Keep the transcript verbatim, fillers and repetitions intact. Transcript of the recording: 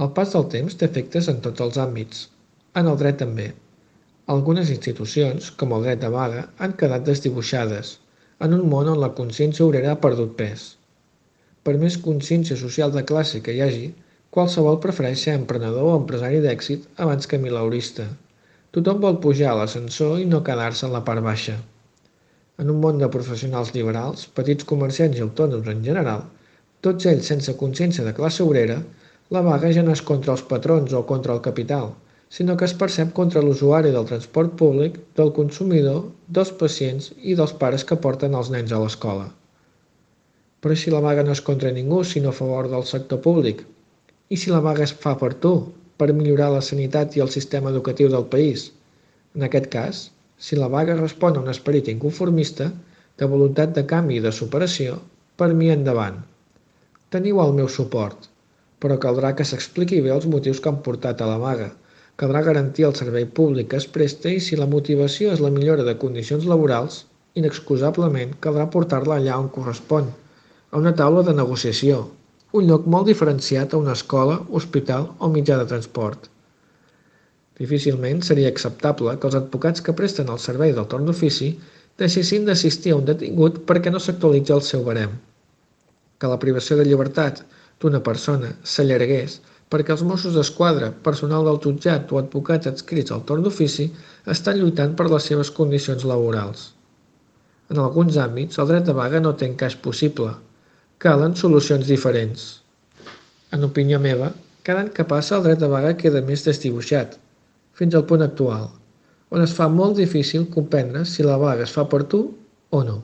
El pas del temps té efectes en tots els àmbits. En el dret també. Algunes institucions, com el dret de vaga, han quedat desdibuixades, en un món on la consciència obrera ha perdut pes. Per més consciència social de classe que hi hagi, qualsevol prefereix ser emprenedor o empresari d'èxit abans que mileurista. Tothom vol pujar a l'ascensor i no quedar-se en la part baixa. En un món de professionals liberals, petits comerciants i autònoms en general, tots ells sense consciència de classe obrera, la vaga ja no és contra els patrons o contra el capital, sinó que es percep contra l'usuari del transport públic, del consumidor, dels pacients i dels pares que porten els nens a l'escola. Però si la vaga no és contra ningú, sinó a favor del sector públic? I si la vaga es fa per tu, per millorar la sanitat i el sistema educatiu del país? En aquest cas, si la vaga respon a un esperit inconformista, de voluntat de canvi i de superació, per mi endavant. Teniu el meu suport, però caldrà que s'expliqui bé els motius que han portat a la vaga. Caldrà garantir el servei públic que es presta i si la motivació és la millora de condicions laborals, inexcusablement caldrà portar-la allà on correspon, a una taula de negociació, un lloc molt diferenciat a una escola, hospital o mitjà de transport. Difícilment seria acceptable que els advocats que presten el servei del torn d'ofici deixessin d'assistir a un detingut perquè no s'actualitza el seu barem. Que la privació de llibertat d'una persona s'allargués perquè els Mossos d'Esquadra, personal del jutjat o advocats adscrits al torn d'ofici estan lluitant per les seves condicions laborals. En alguns àmbits, el dret de vaga no té encaix possible. Calen solucions diferents. En opinió meva, cada any que passa el dret de vaga queda més desdibuixat, fins al punt actual, on es fa molt difícil comprendre si la vaga es fa per tu o no.